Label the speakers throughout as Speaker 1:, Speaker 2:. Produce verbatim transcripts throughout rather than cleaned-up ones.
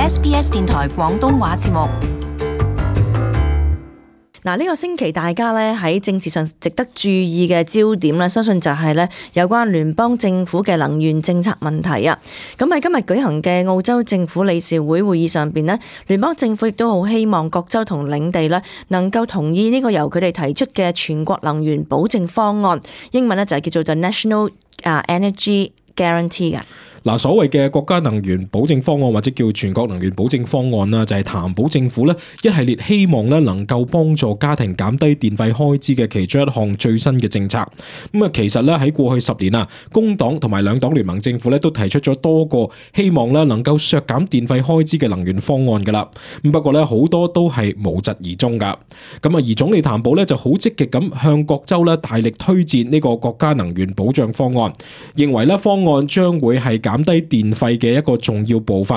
Speaker 1: S B S 電台廣東話節目。
Speaker 2: 嗱，呢個星期大家咧喺政治上值得注意嘅焦點咧，相信就係咧有關聯邦政府嘅能源政策問題啊。咁喺今日舉行嘅澳洲政府理事會會議上邊咧，聯邦政府亦都好希望各州同領地咧能夠同意呢個由佢哋提出嘅全國能源保證方案，英文咧就係叫做 The National Energy Guarantee 嘅。
Speaker 3: 嗱，所謂嘅國家能源保證方案或者叫全國能源保證方案啦，就係談保政府咧一系列希望咧能夠幫助家庭減低電費開支嘅其中一項最新嘅政策。咁啊，其實咧喺過去十年啊，工黨同埋兩黨聯盟政府咧都提出咗多個希望咧能夠削減電費開支嘅能源方案噶啦。咁不過咧好多都係無疾而終噶。咁啊，而總理譚寶咧就好積極咁向各州咧大力推薦呢個國家能源保障方案，認為咧方案將會係減減低電費嘅一個重要部分，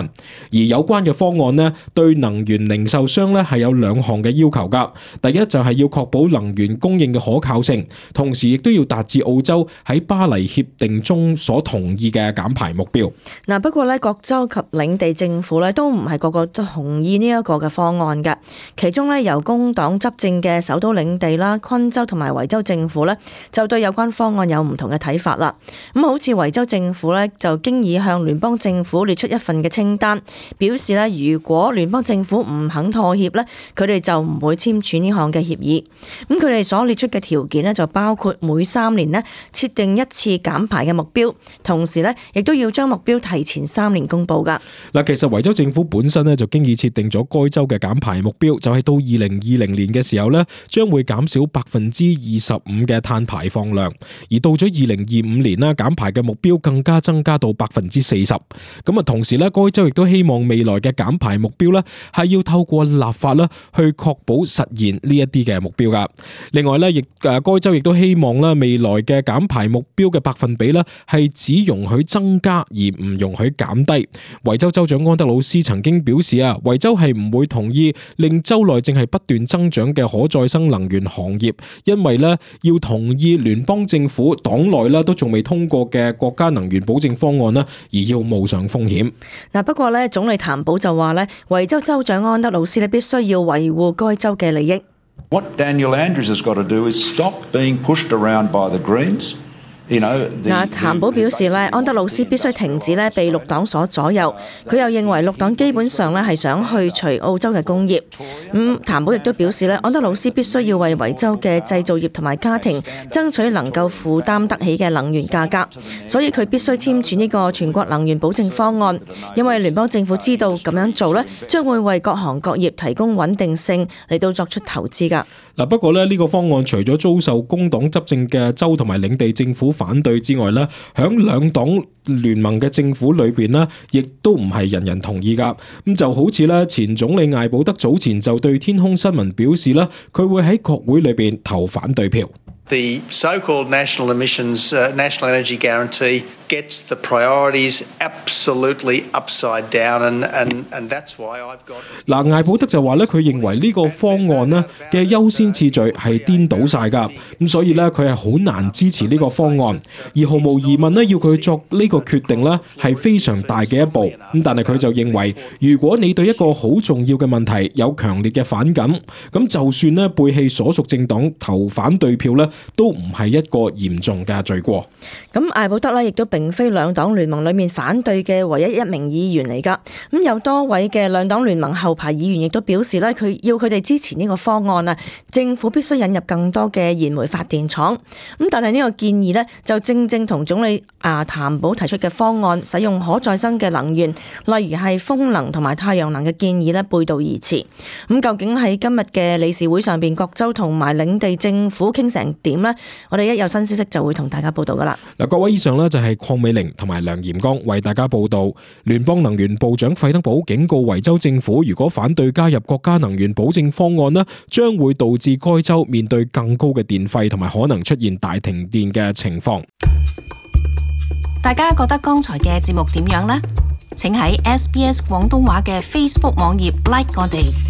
Speaker 3: 而有關嘅方案呢，對能源零售商呢係有兩項嘅要求噶。第一就係要確保能源供應嘅可靠性，同時亦都要達至澳洲喺巴黎協定中所同意嘅減排目標。
Speaker 2: 嗱，不過咧，各州及領地政府咧都唔係個個都同意呢一個嘅方案嘅。其中咧，由工黨執政嘅首都領地啦、昆州同埋維州政府咧，就對有關方案有唔同嘅睇法啦。咁好似維州政府咧，就經已向聯邦政府列出一份嘅清單，表示咧，如果聯邦政府唔肯妥協咧，佢哋就唔會簽署呢項嘅協議。咁佢哋所列出嘅條件咧，就包括每三年咧設定一次減排嘅目標，同時咧亦都要將目標提前三年公佈噶。
Speaker 3: 嗱，其實維州政府本身咧就經已設定咗該州嘅減排目標，就係到二零二零年嘅時候咧，將會減少百分之二十五嘅碳排放量，而到咗二零二五年啦，減排嘅目標更加增加到百分之四十。咁啊，同時咧，該州亦都希望未來嘅減排目標咧係要透過立法啦去確保實現呢一啲嘅目標噶。另外咧，亦誒該州亦都希望咧未來嘅減排目標嘅百分比咧係只容許增加而唔容許減低。維州州長安德魯斯曾經表示啊，維州係唔會同意令州內正係不斷增長嘅可再生能源行業，因為咧要同意聯邦政府黨內咧都仲未通過嘅國家能源保證方案啦，而要冒上風險。
Speaker 2: 嗱，不過咧，總理譚寶就話咧，維州州長安德魯斯咧必須要維護該州嘅利益。
Speaker 4: What Daniel Andrews has got to do is stop being pushed around by the Greens.
Speaker 2: 嗱，譚寶表示咧，安德魯斯必須停止咧被綠黨所左右。佢又認為綠黨基本上咧係想去除澳洲嘅工業。咁譚寶亦都表示咧，安德魯斯必須要為維州嘅製造業同埋家庭爭取能夠負擔得起嘅能源價格，所以佢必須簽署呢個全國能源保證方案，因為聯邦政府知道咁樣做咧，將會為各行各業提供穩定性嚟到作出投資㗎。
Speaker 3: 嗱，不過咧呢個方案除咗遭受工黨執政嘅州同埋領地政府反對之外咧，響兩黨聯盟嘅政府裏邊咧，亦都唔係人人同意噶。咁就好似咧前總理艾保德早前就對天空新聞表示啦，佢會喺國會裏邊投反對票。
Speaker 5: The so-called national emissions, uh, national energy guarantee gets the priorities absolutely upside down, and and and that's why I've got.
Speaker 3: 嗱，艾保德就話咧，佢認為呢個方案咧嘅優先次序係顛倒晒㗎，咁所以咧佢係好難支持呢個方案，而毫無疑問咧要佢作呢個決定咧係非常大嘅一步。咁但係佢就認為，如果你對一個好重要嘅問題有強烈嘅反感，咁就算咧背棄所屬政黨投反對票咧，都唔係一個嚴重嘅罪過。
Speaker 2: 咁艾保德咧，亦都並非兩黨聯盟裏面反對嘅唯一一名議員嚟噶。咁有多位嘅兩黨聯盟後排議員亦都表示咧，佢要佢哋支持呢個方案啊。政府必須引入更多嘅燃煤發電廠。咁但係呢個建議咧，就正正同總理啊譚寶提出嘅方案，使用可再生嘅能源，例如係風能同埋太陽能嘅建議咧，背道而馳。咁究竟喺今日嘅理事會上邊，各州同埋領地政府傾成點呢？我哋一有新消息就會同大家報道噶啦。
Speaker 3: 嗱，各位以上呢就係鄺美玲同埋梁炎剛為大家報道。聯邦能源部長費德堡警告維州政府，如果反對加入國家能源保證方案呢，將會導致該州面對更高嘅電費同埋可能出現大停電嘅情況。
Speaker 1: 大家覺得剛才嘅節目點樣呢？請喺 S B S 廣東話嘅 Facebook 網頁 like 我哋。